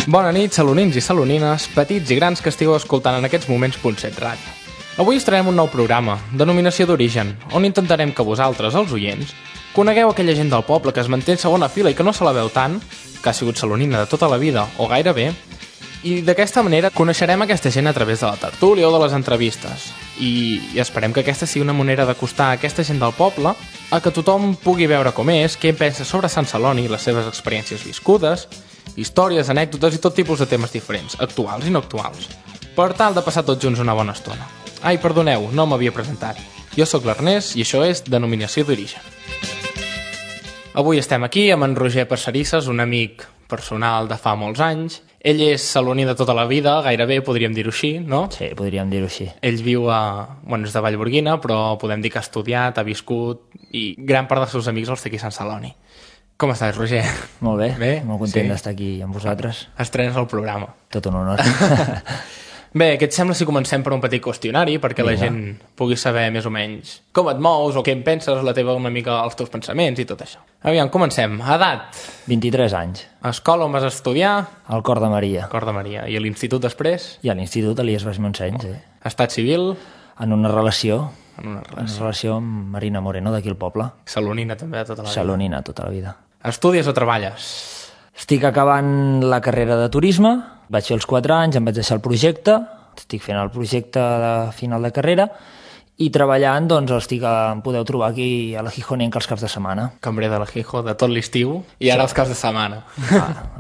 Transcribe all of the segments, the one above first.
Bona nit, salonins i salonines, petits i grans que estigueu escoltant en aquests moments .7 Ràdio. Avui estrenem un nou programa, Denominació d'Origen, on intentarem que vosaltres, els oients, conegueu aquella gent del poble que es manté en segona fila i que no se la veu tant, que ha sigut salonina de tota la vida o gairebé, i d'aquesta manera coneixerem aquesta gent a través de la tertúlia o de les entrevistes. I esperem que aquesta sigui una manera d'acostar a aquesta gent del poble a que tothom pugui veure com és, què pensa sobre Sant Celoni, les seves experiències viscudes, històries, anècdotes i tot tipus de temes diferents, actuals i no actuals, per tal de passar tots junts una bona estona. Ai, perdoneu, no m'havia presentat. Jo sóc l'Ernest i això és Denominació d'Origen. Avui estem aquí amb en Roger Passarisses, un amic personal de fa molts anys. Ell és saloní de tota la vida, gairebé podríem dir-ho així, no? Sí, podríem dir-ho així. Ell viu és de Vallgorguina, però podem dir que ha estudiat, ha viscut, i gran part dels seus amics els té aquí a Sant Celoni. Com estàs, Roger? Molt bé, Bé? molt content d'estar aquí amb vosaltres. Estrenes el programa. Tot un honor. Bé, què et sembla si comencem per un petit qüestionari perquè la gent pugui saber més o menys com et mous o què en penses, una mica els teus pensaments i tot això. Aviam, comencem. Edat? 23 anys. Escola on vas estudiar? Al Cor de Maria. Cor de Maria. I a l'institut després? I a l'institut Elies Baix Montseny, sí. Estat civil? En una relació. En una Una relació amb Marina Moreno, d'aquí al poble. Salonina també de tota la vida. Salonina, tota la vida. Estudies o treballes? Estic acabant la carrera de turisme, vaig fer els 4 anys, em vaig deixar el projecte, estic fent el projecte de final de carrera i treballant, doncs, em podeu trobar aquí a la Gijonenca els caps de setmana. Cambrer de la Gijo, de tot l'estiu, i ara els caps de setmana.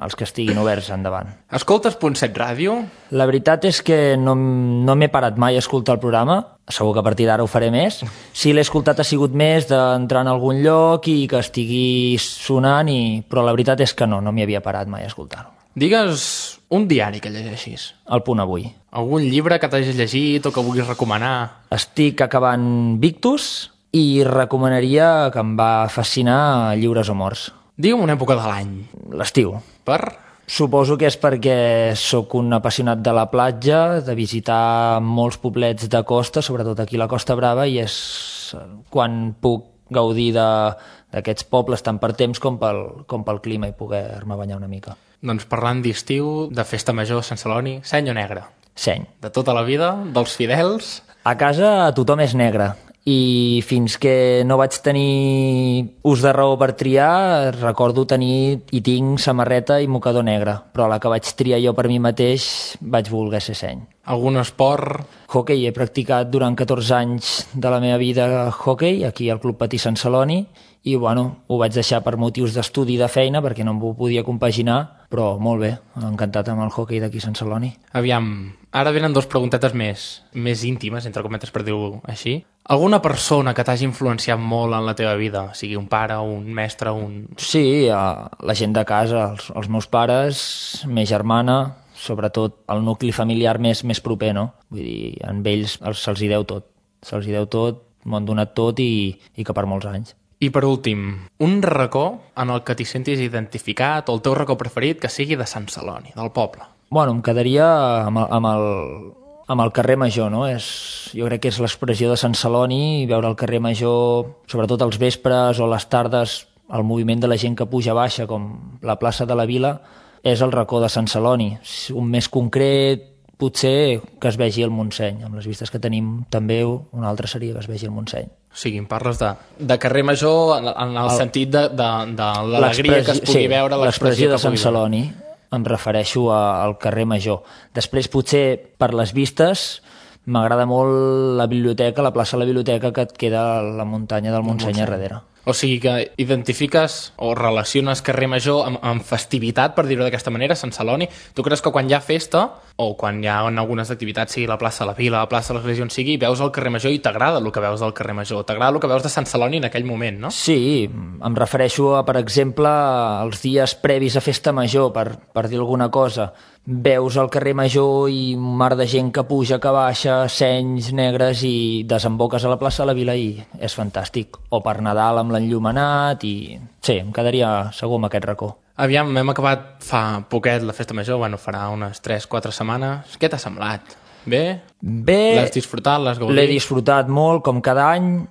Els que estiguin oberts, endavant. Escoltes .7 Ràdio? La veritat és que no m'he parat mai a escoltar el programa, segur que a partir d'ara ho faré més. Si l'he escoltat ha sigut més d'entrar en algun lloc i que estigui sonant, però la veritat és que no m'hi havia parat mai a escoltar-ho. Digues un diari que llegeixis. El Punt Avui. Algun llibre que t'hagis llegit o que vulguis recomanar? Estic acabant Victus i recomanaria, que em va fascinar, Lliures o Morts. Digue'm una època de l'any. L'estiu. Per? Suposo que és perquè sóc un apassionat de la platja, de visitar molts poblets de costa, sobretot aquí a la Costa Brava, i és quan puc gaudir d'aquests pobles tant per temps com pel clima i poder-me banyar una mica. Doncs parlant d'estiu, de festa major a Sant Celoni, seny o negre? Seny. De tota la vida, dels fidels? A casa tothom és negre i fins que no vaig tenir ús de raó per triar, recordo tenir i tinc samarreta i mocador negre, però a la que vaig triar jo per mi mateix vaig voler ser seny. Algun esport? Hockey. He practicat durant 14 anys de la meva vida hockey, aquí al Club Patí Sant Celoni, i ho vaig deixar per motius d'estudi i de feina perquè no m'ho podia compaginar, però molt bé, encantat amb el hockey d'aquí a Sant Celoni. Aviam, ara venen 2 preguntetes més íntimes, entre cometes per dir-ho així. Alguna persona que t'hagi influenciat molt en la teva vida, sigui un pare, un mestre, Sí, la gent de casa, els meus pares, meva germana, sobretot el nucli familiar més proper, no? Vull dir, amb ells se'ls hi deu tot, m'ho han donat tot i que per molts anys. I per últim, un racó en el que t'hi sentis identificat o el teu racó preferit que sigui de Sant Celoni, del poble. Bueno, em quedaria amb el carrer Major, no? Jo crec que és l'expressió de Sant Celoni, veure el carrer Major, sobretot els vespres o les tardes, el moviment de la gent que puja baixa, com la plaça de la Vila, és el racó de Sant Celoni. Un més concret, potser que es vegi el Montseny. Amb les vistes que tenim també, un altre seria que es vegi el Montseny. O sigui, em parles de carrer Major en el sentit de l'alegria que es pugui veure, l'expressió de Sant Celoni. Em refereixo al carrer Major. Després, potser, per les vistes, m'agrada molt la biblioteca, la plaça de la biblioteca que et queda a la muntanya del Montseny a darrere. O sigui que identifiques o relaciones carrer Major amb festivitat, per dir-ho d'aquesta manera, Sant Celoni. Tu creus que quan hi ha festa, o quan hi ha algunes activitats, sigui la plaça de la Vila, la plaça de l'Església on sigui, veus el carrer Major i t'agrada el que veus del carrer Major, t'agrada el que veus de Sant Celoni en aquell moment, no? Sí, em refereixo a, per exemple, els dies previs a Festa Major, per dir alguna cosa. Veus el carrer Major i un mar de gent que puja, que baixa, senys negres, i desemboques a la plaça de la Vila i és fantàstic. O per Nadal amb l'enllumenat i... Sí, em quedaria segur amb aquest racó. Aviam, hem acabat fa poquet la Festa Major, farà unes 3-4 setmanes. Què t'ha semblat? Bé? Bé. L'has disfrutat, l'has gaudit? L'he disfrutat molt, com cada any,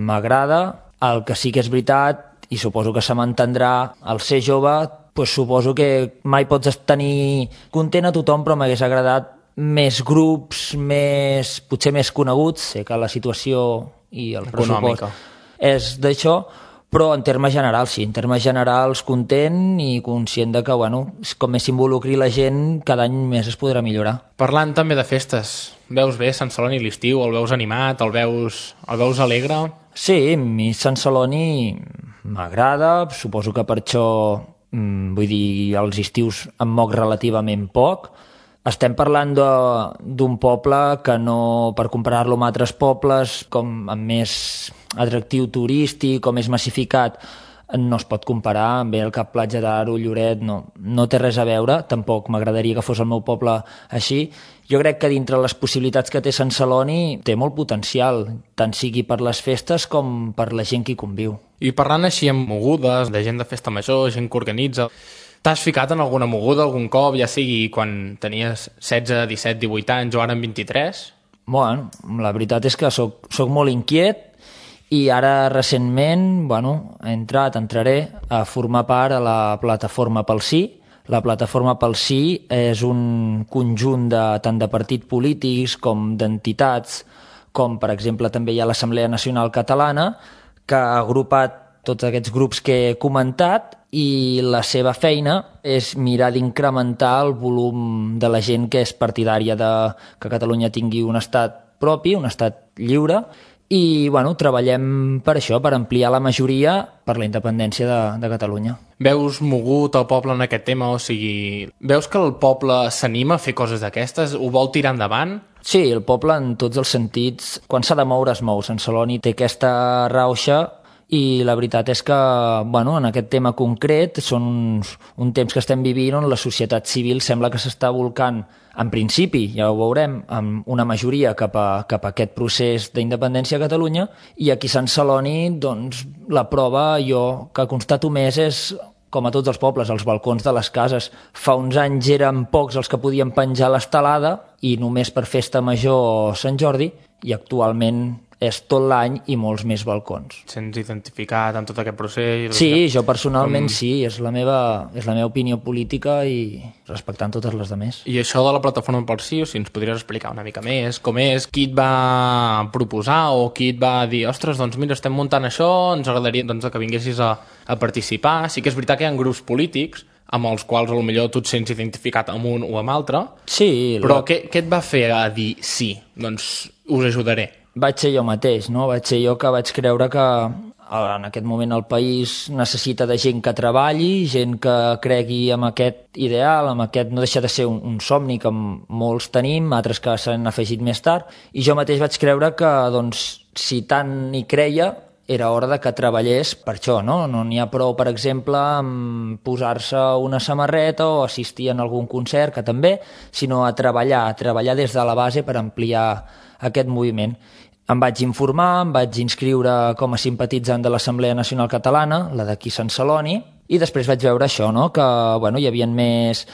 m'agrada. El que sí que és veritat, i suposo que se m'entendrà, al ser jove suposo que mai pots tenir content a tothom, però m'hagués agradat més grups, potser més coneguts. Sé que la situació i el pressupost és d'això, però en termes generals, sí, en termes generals content i conscient de que, com més s'involucri la gent, cada any més es podrà millorar. Parlant també de festes, veus bé Sant Celoni l'estiu? El veus animat? El veus alegre? Sí, a mi Sant Celoni m'agrada, suposo que per això, els estius em moc relativament poc. Estem parlant d'un poble que no, per comparar-lo amb altres pobles, com amb més atractiu turístic o més massificat, no es pot comparar amb el Cap Platja d'Aro, Lloret, no té res a veure, tampoc m'agradaria que fos el meu poble així. Jo crec que dintre les possibilitats que té Sant Celoni té molt potencial, tant sigui per les festes com per la gent que hi conviu. I parlant així amb mogudes, de gent de festa major, gent que organitza, t'has ficat en alguna moguda algun cop, ja sigui quan tenies 16, 17, 18 anys o ara en 23? Bueno, la veritat és que soc molt inquiet i ara recentment, entraré a formar part a la plataforma Pel Sí. La plataforma Pel Sí és un conjunt tant de partits polítics com d'entitats, com per exemple també hi ha l'Assemblea Nacional Catalana, que ha agrupat tots aquests grups que he comentat i la seva feina és mirar d'incrementar el volum de la gent que és partidària de que Catalunya tingui un estat propi, un estat lliure, i treballem per això, per ampliar la majoria per la independència de Catalunya. Veus mogut el poble en aquest tema? O sigui, veus que el poble s'anima a fer coses d'aquestes? Ho vol tirar endavant? Sí, el poble en tots els sentits, quan s'ha de moure es mou. Sant Celoni té aquesta rauxa i la veritat és que en aquest tema concret són un temps que estem vivint on la societat civil sembla que s'està volcant, en principi, ja ho veurem, amb una majoria cap a aquest procés d'independència a Catalunya, i aquí a Sant Celoni la prova jo que constato més és, com a tots els pobles, els balcons de les cases. Fa uns anys eren pocs els que podien penjar l'estelada i només per festa major o Sant Jordi, i actualment és tot l'any i molts més balcons. Sents identificat amb tot aquest procés? Sí, jo personalment sí, és la meva opinió política i respectant totes les demés. I això de la plataforma Pel Sí, si ens podries explicar una mica més, com és, qui et va proposar o qui et va dir, ostres, mira, estem muntant això, ens agradaria que vinguessis a participar. Sí que és veritat que hi ha grups polítics amb els quals potser tu et sents identificat amb un o amb altre, sí, però què et va fer a dir sí, us ajudaré? Vaig ser jo mateix, no? Vaig ser jo que vaig creure que en aquest moment el país necessita de gent que treballi, gent que cregui en aquest ideal, en aquest no deixa de ser un somni que molts tenim, altres que s'han afegit més tard, i jo mateix vaig creure que, si tant hi creia, era hora de que treballés per això, no? No n'hi ha prou, per exemple, amb posar-se una samarreta o assistir en algun concert, que també, sinó a treballar des de la base per ampliar aquest moviment. Em vaig informar, em vaig inscriure com a simpatitzant de l'Assemblea Nacional Catalana, la d'aquí Sant Celoni, i després vaig veure això, no? Que hi havia més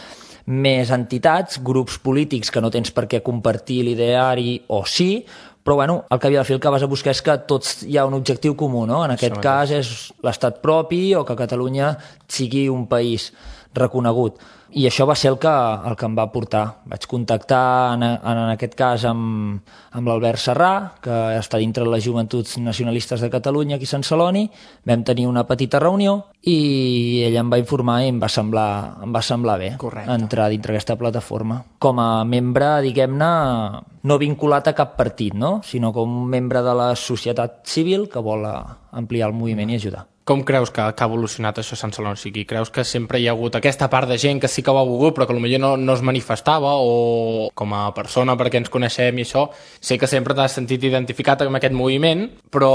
entitats, grups polítics que no tens per què compartir l'ideari o sí, però al cap i al fi el que vas a buscar és que tots hi ha un objectiu comú, no? En aquest cas és l'estat propi o que Catalunya sigui un país reconegut. I això va ser el que em va portar. Vaig contactar, en aquest cas, amb l'Albert Serrà, que està dintre de les Joventuts Nacionalistes de Catalunya, aquí a Sant Celoni. Vam tenir una petita reunió i ell em va informar i em va semblar bé. Correcte. Entrar dintre aquesta plataforma. Com a membre, diguem-ne, no vinculat a cap partit, no? Sinó com un membre de la societat civil que vol ampliar el moviment i ajudar. Com creus que ha evolucionat això a Sant Celoni? O sigui, creus que sempre hi ha hagut aquesta part de gent que sí que ho ha volgut però que potser no es manifestava, o com a persona, perquè ens coneixem i això, sé que sempre t'has sentit identificat amb aquest moviment, però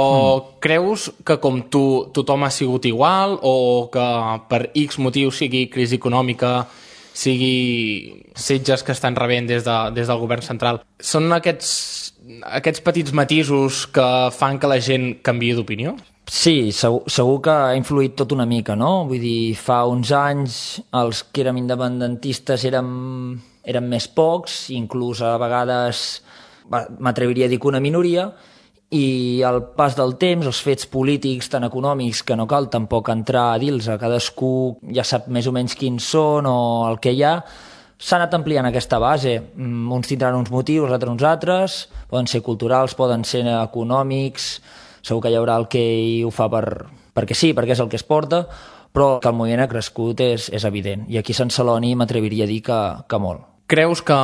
creus que com tu tothom ha sigut igual, o que per X motiu, sigui crisi econòmica, sigui setges que estan rebent des del govern central, són aquests petits matisos que fan que la gent canviï d'opinió? Sí, segur que ha influït tot una mica, no? Vull dir, fa uns anys els que érem independentistes érem més pocs, inclús a vegades m'atreviria a dir que una minoria, i al pas del temps, els fets polítics tan econòmics que no cal tampoc entrar a dir-los, a cadascú ja sap més o menys quins són o el que hi ha, s'ha anat ampliant aquesta base. Uns tindran uns motius, altres uns altres, poden ser culturals, poden ser econòmics, segur que hi haurà el que ho fa perquè sí, perquè és el que es porta, però que el moviment ha crescut és evident. I aquí a Sant Celoni m'atreviria a dir que molt. Creus que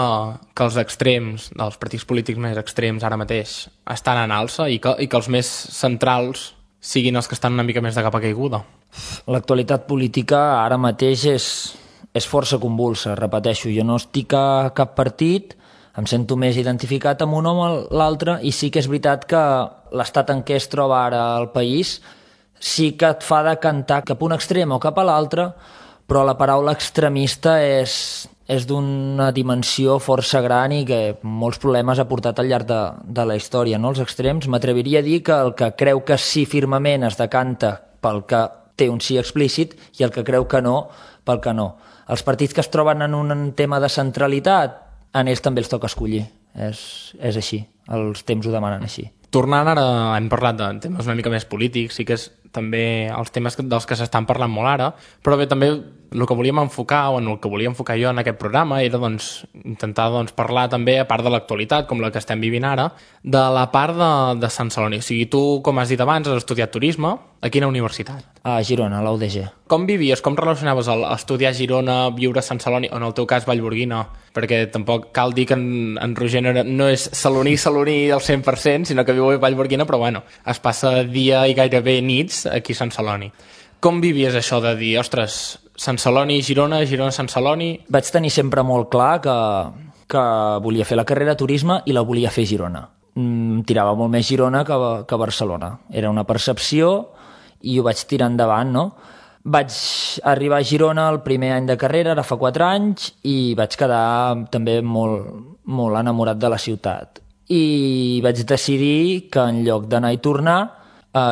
els extrems, els partits polítics més extrems ara mateix, estan en alça i que els més centrals siguin els que estan una mica més de capa caiguda? L'actualitat política ara mateix és força convulsa, repeteixo. Jo no estic a cap partit, em sento més identificat amb un home o l'altre, i sí que és veritat que l'estat en què es troba ara el país sí que et fa decantar cap a un extrem o cap a l'altre, però la paraula extremista és d'una dimensió força gran i que molts problemes ha portat al llarg de la història, no? Els extrems, m'atreviria a dir que el que creu que sí firmament es decanta pel que té un sí explícit i el que creu que no pel que no. Els partits que es troben en un tema de centralitat, en ells també els toca escollir. És així, els temps ho demanen així. Tornant ara, hem parlat de temes una mica més polítics, sí que és també els temes dels que s'estan parlant molt ara, però bé, també el que volíem enfocar, o en el que volia enfocar jo en aquest programa, era intentar parlar també, a part de l'actualitat, com la que estem vivint ara, de la part de Sant Celoni. O sigui, tu, com has dit abans, has estudiat turisme. A quina universitat? A Girona, a la UDG. Com vivies, com relacionaves estudiar a Girona, viure a Sant Celoni, o en el teu cas Vallgorguina? Perquè tampoc cal dir que en Roger no és saloní al 100%, sinó que viu a Vallgorguina, però bueno, es passa dia i gairebé nits aquí a Sant Celoni. Com vivies això de dir, ostres, Sant Celoni, Girona, Sant Celoni? Vaig tenir sempre molt clar que volia fer la carrera de turisme i la volia fer a Girona. Tirava molt més Girona que Barcelona. Era una percepció i ho vaig tirar endavant, no? Vaig arribar a Girona el primer any de carrera, ara fa 4 anys, i vaig quedar també molt enamorat de la ciutat. I vaig decidir que en lloc d'anar i tornar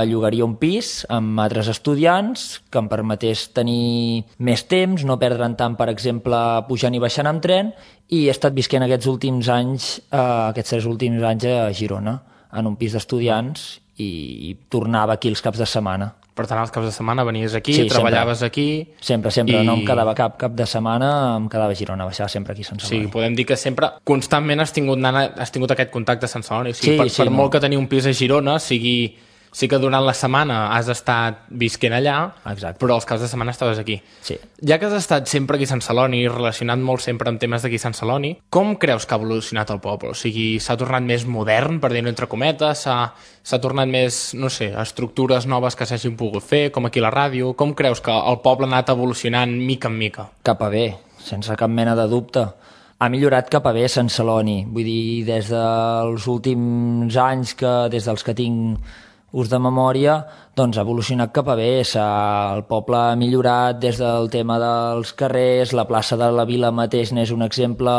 llogaria un pis amb altres estudiants que em permetés tenir més temps, no perdre'n tant, per exemple, pujant i baixant amb tren, i he estat visquent aquests 3 últims anys a Girona, en un pis d'estudiants, i tornava aquí els caps de setmana. Per tant, els caps de setmana venies aquí, sí, treballaves aquí... Sempre, no em quedava cap de setmana, em quedava a Girona, baixava sempre aquí a Sant Celoni. Sí, podem dir que sempre, constantment has tingut aquest contacte a Sant Celoni. O sigui, per molt que tenir un pis a Girona, sí que durant la setmana has estat visquent allà, exacte, però els caps de setmana estaves aquí. Sí. Ja que has estat sempre aquí a Sant Celoni, relacionat molt sempre amb temes d'aquí a Sant Celoni, com creus que ha evolucionat el poble? O sigui, s'ha tornat més modern, per dir-ho entre cometes, s'ha tornat més, no sé, estructures noves que s'hagin pogut fer, com aquí a la ràdio? Com creus que el poble ha anat evolucionant mica en mica? Cap a bé, sense cap mena de dubte. Ha millorat cap a bé Sant Celoni. Vull dir, des dels últims anys, des dels que tinc ús de memòria, doncs ha evolucionat cap a bé. El poble ha millorat des del tema dels carrers, la plaça de la Vila mateix n'és un exemple,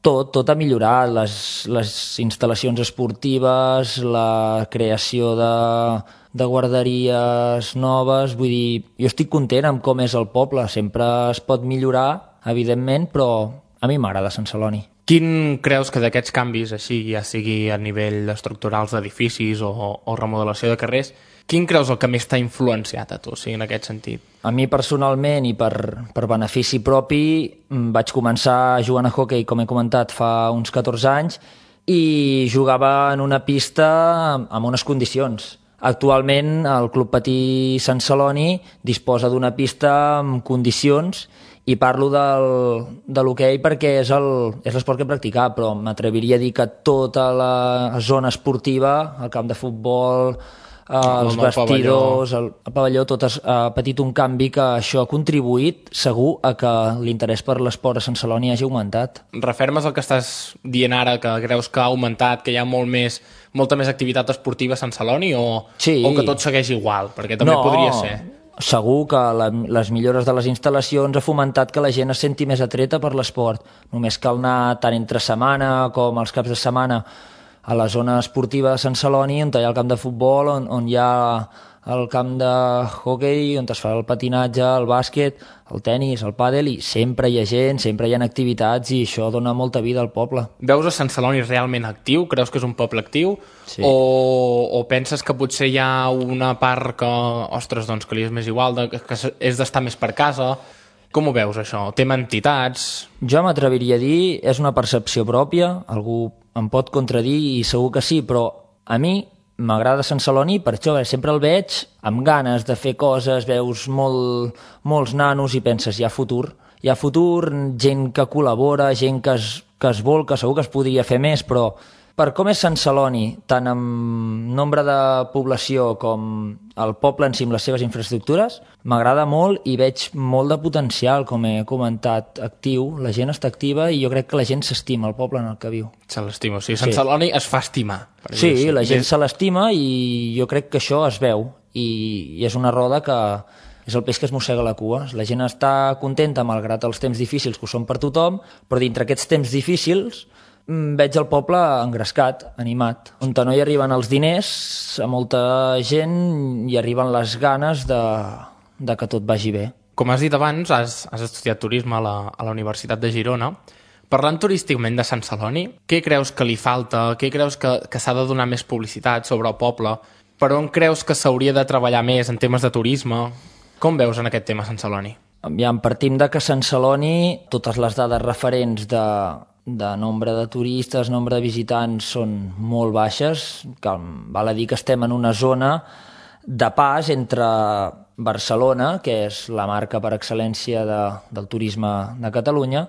tot ha millorat, les instal·lacions esportives, la creació de guarderies noves, vull dir, jo estic content amb com és el poble, sempre es pot millorar, evidentment, però a mi m'agrada Sant Celoni. Quin creus que d'aquests canvis, així ja sigui a nivell estructurals d'edificis o remodelació de carrers, quin creus el que més t'ha influenciat a tu, o sigui, en aquest sentit? A mi personalment i per benefici propi vaig començar jugant a hoquei, com he comentat, fa uns 14 anys, i jugava en una pista amb unes condicions. Actualment el Club Patí Sant Celoni disposa d'una pista amb condicions, i parlo de l'hoquei perquè és l'esport que he practicat, però m'atreviria a dir que tota la zona esportiva, el camp de futbol, els vestidors, el pavelló, tot ha patit un canvi que això ha contribuït segur a que l'interès per l'esport a Sant Celoni hagi augmentat. Refermes el que estàs dient ara, que creus que ha augmentat, que hi ha molta més activitat esportiva a Sant Celoni, o que tot segueix igual? Perquè també podria ser. Segur que les millores de les instal·lacions ha fomentat que la gent es senti més atreta per l'esport. Només cal anar tant entre setmana com els caps de setmana a la zona esportiva de Sant Celoni, on hi ha el camp de futbol, on hi ha el camp de hoquei on es fa el patinatge, el bàsquet, el tennis, el pàdel, i sempre hi ha gent, sempre hi ha activitats i això dona molta vida al poble. Veus a Sant Celoni realment actiu? Creus que és un poble actiu? Sí. O penses que potser hi ha una part que, ostres, doncs que li és més igual, que és d'estar més per casa? Com ho veus, això? Tema entitats? Jo m'atreviria a dir, és una percepció pròpia, algú em pot contradir i segur que sí, però a mi m'agrada Sant Celoni per això, sempre el veig amb ganes de fer coses, veus molts nanos i penses, hi ha futur, gent que col·labora, gent que es vol, que segur que es podria fer més, però per com és Sant Celoni, tant amb nombre de població com el poble en si amb les seves infraestructures, m'agrada molt i veig molt de potencial, com he comentat, actiu. La gent està activa i jo crec que la gent s'estima el poble en el que viu. Se l'estima, o sigui, Sant Celoni es fa estimar. Sí, la gent se l'estima i jo crec que això es veu i és una roda que és el peix que es mossega la cua. La gent està contenta malgrat els temps difícils que ho són per tothom, però dintre aquests temps difícils veig el poble engrescat, animat, on no hi arriben els diners, a molta gent hi arriben les ganes de que tot vagi bé. Com has dit abans, has estudiat turisme a la Universitat de Girona. Parlant turísticament de Sant Celoni, què creus que li falta? Què creus que s'ha de donar més publicitat sobre el poble? Per on creus que s'hauria de treballar més en temes de turisme? Com veus en aquest tema Sant Celoni? Aviam, partim de que Sant Celoni, totes les dades referents de nombre de turistes, nombre de visitants són molt baixes, que val a dir que estem en una zona de pas entre Barcelona, que és la marca per excel·lència del turisme de Catalunya,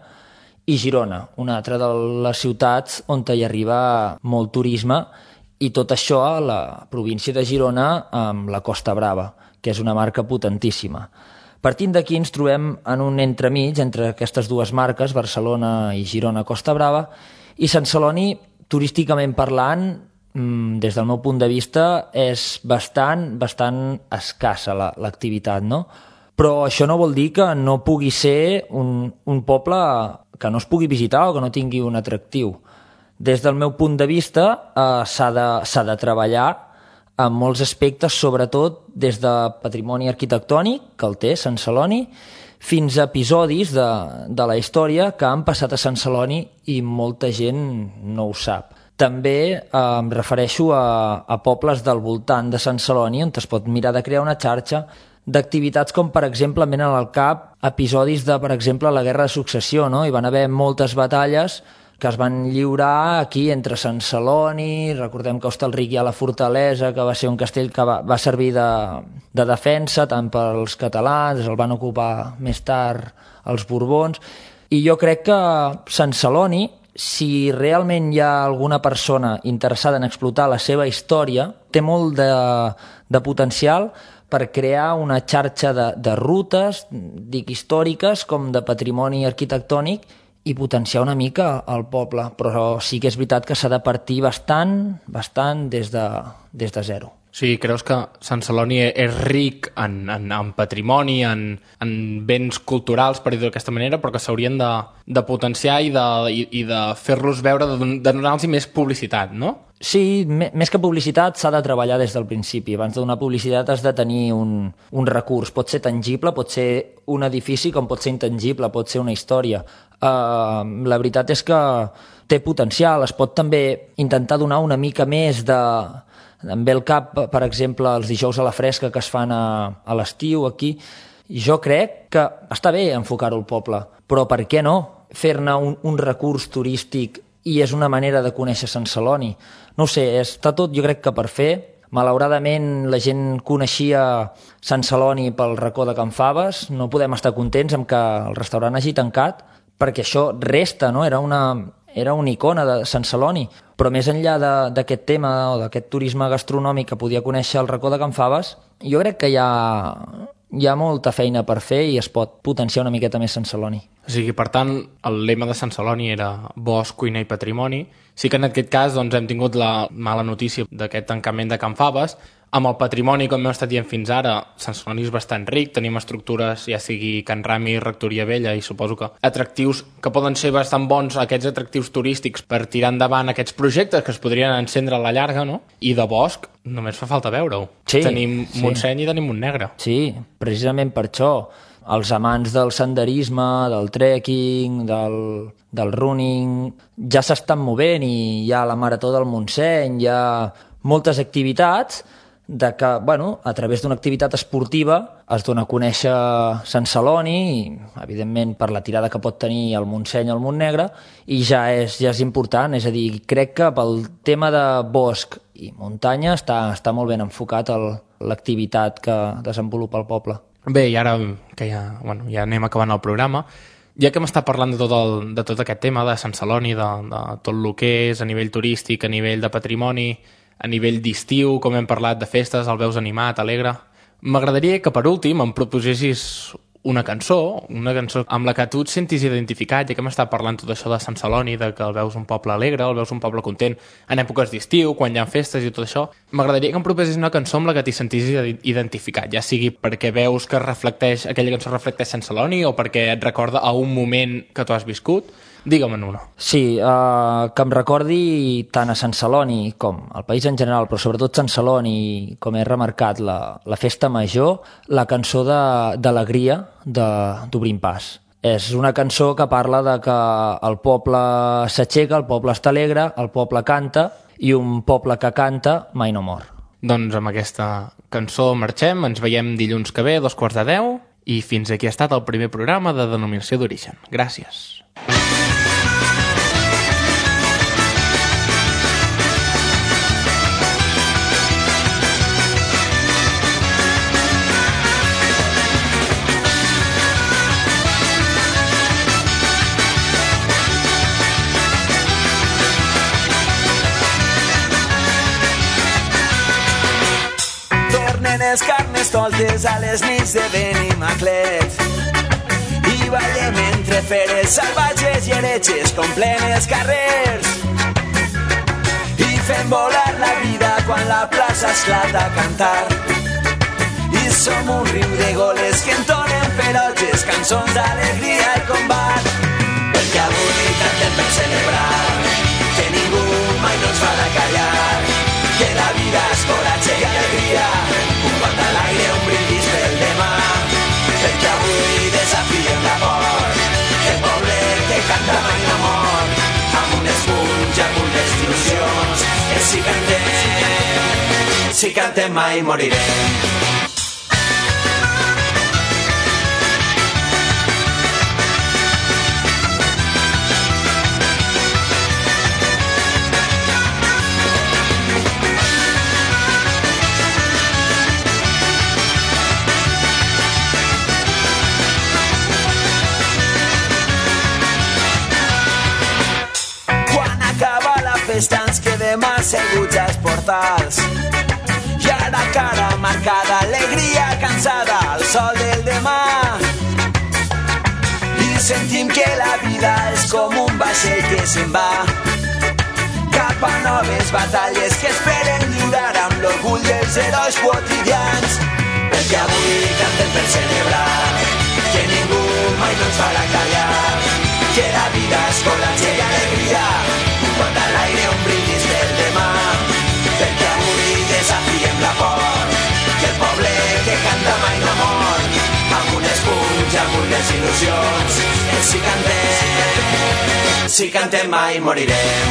i Girona, una altra de les ciutats on hi arriba molt turisme, i tot això a la província de Girona amb la Costa Brava, que és una marca potentíssima. Partint d'aquí ens trobem en un entremig entre aquestes dues marques, Barcelona i Girona Costa Brava, i Sant Celoni, turísticament parlant, des del meu punt de vista, és bastant escassa l'activitat, no? Però això no vol dir que no pugui ser un poble que no es pugui visitar o que no tingui un atractiu. Des del meu punt de vista, s'ha de treballar en molts aspectes, sobretot des de patrimoni arquitectònic, que el té Sant Celoni, fins a episodis de la història que han passat a Sant Celoni i molta gent no ho sap. També em refereixo a pobles del voltant de Sant Celoni on es pot mirar de crear una xarxa d'activitats com, per exemple, em venen al cap episodis de, per exemple, la Guerra de Successió, no? Hi van haver moltes batalles que es van lliurar aquí entre Sant Celoni, recordem que a Hostalric hi ha la fortalesa, que va ser un castell que va servir de defensa tant pels catalans, el van ocupar més tard els Borbons, i jo crec que Sant Celoni, si realment hi ha alguna persona interessada en explotar la seva història, té molt de potencial per crear una xarxa de rutes, dic històriques, com de patrimoni arquitectònic, i potenciar una mica el poble, però sí que és veritat que s'ha de partir bastant des de zero. Sí, creus que Sant Celoni és ric en patrimoni, en béns culturals, per dir-ho d'aquesta manera, però que s'haurien de potenciar i de fer-los veure, de donar-los més publicitat, no? Sí, més que publicitat s'ha de treballar des del principi. Abans de donar publicitat has de tenir un recurs. Pot ser tangible, pot ser un edifici, com pot ser intangible, pot ser una història. La veritat és que té potencial. Es pot també intentar donar una mica més de... Em ve al cap, per exemple, els dijous a la fresca que es fan a l'estiu aquí. Jo crec que està bé enfocar-ho al poble, però per què no fer-ne un recurs turístic i és una manera de conèixer Sant Celoni? No ho sé, està tot jo crec que per fer. Malauradament la gent coneixia Sant Celoni pel racó de Can Faves, no podem estar contents amb que el restaurant hagi tancat, perquè això resta, no? Era una icona de Sant Celoni, però més enllà d'aquest tema o d'aquest turisme gastronòmic que podia conèixer el racó de Can Faves, jo crec que hi ha molta feina per fer i es pot potenciar una miqueta més Sant Celoni. O sigui, per tant, el lema de Sant Celoni era bosc, cuina i patrimoni. Sí que en aquest cas doncs, hem tingut la mala notícia d'aquest tancament de Can Faves. Amb el patrimoni, com hem estat dient fins ara, Sant Celoni és bastant ric, tenim estructures, ja sigui Can Rami, Rectoria Vella, i suposo que atractius que poden ser bastant bons, aquests atractius turístics per tirar endavant aquests projectes que es podrien encendre a la llarga, no? I de bosc, només fa falta veure-ho. Sí, tenim Montseny i tenim Montnegre. Sí, precisament per això. Els amants del senderisme, del trekking, del running, ja s'estan movent i hi ha la Marató del Montseny, hi ha moltes activitats de que, bueno, a través d'una activitat esportiva es dona a conèixer Sant Celoni, i, evidentment, per la tirada que pot tenir el Montseny o el Montnegre, i ja és important. És a dir, crec que pel tema de bosc i muntanya està molt ben enfocat l'activitat que desenvolupa el poble. Bé, i ara que ja anem acabant el programa, ja que m'està parlant de tot aquest tema de Sant Celoni, de tot el que és a nivell turístic, a nivell de patrimoni, a nivell d'estiu, com hem parlat de festes, el veus animat, alegre, m'agradaria que per últim em proposessis una cançó amb la que tu et sentis identificat, ja que m'està parlant tot això de Sant Celoni, de que el veus un poble alegre, el veus un poble content en èpoques d'estiu, quan hi ha festes i tot això. M'agradaria que em proposessis una cançó amb la que t'hi sentissis identificat, ja sigui perquè veus que aquella cançó reflecteix Sant Celoni o perquè et recorda a un moment que tu has viscut. Digue'm una. Sí, que em recordi tant a Sant Celoni com al país en general, però sobretot Sant Celoni, com he remarcat, la festa major, la cançó d'Alegria d'Obrim Pas. És una cançó que parla de que el poble s'aixeca, el poble està alegre, el poble canta, i un poble que canta mai no mor. Doncs amb aquesta cançó marxem, ens veiem dilluns que ve, 2:15, i fins aquí ha estat el primer programa de Denominació d'Origen. Gràcies. Els carnestoltes a les nits de Benimaclet i ballem entre feres salvatges i heretges omplen els carrers i fem volar la vida quan la plaça esclata a cantar i som un riu de goles que entonen ferotges cançons d'alegria i combat perquè avui cantem per celebrar que ningú mai no ens farà callar que la vida és coratge i alegria un got a l'aire, un brindis pel demà perquè avui desafiem la por que el poble que canta mai no mor amb un esponja, amb unes il·lusions que si cantem mai morirem. Festa ens quedem asseguts als portals i ara cara marcada, alegria cansada al sol del demà i sentim que la vida és com un vaixell que se'n va cap a noves batalles que esperen lliurar amb l'orgull dels herois quotidians perquè avui cantem per celebrar que ningú mai no ens farà callar que la vida és coratge i alegria got a l'aire, un brindis pel demà perquè avui desafiem la por que el poble que canta mai no mor amb un esponja, amb unes il·lusions que si cantem mai morirem.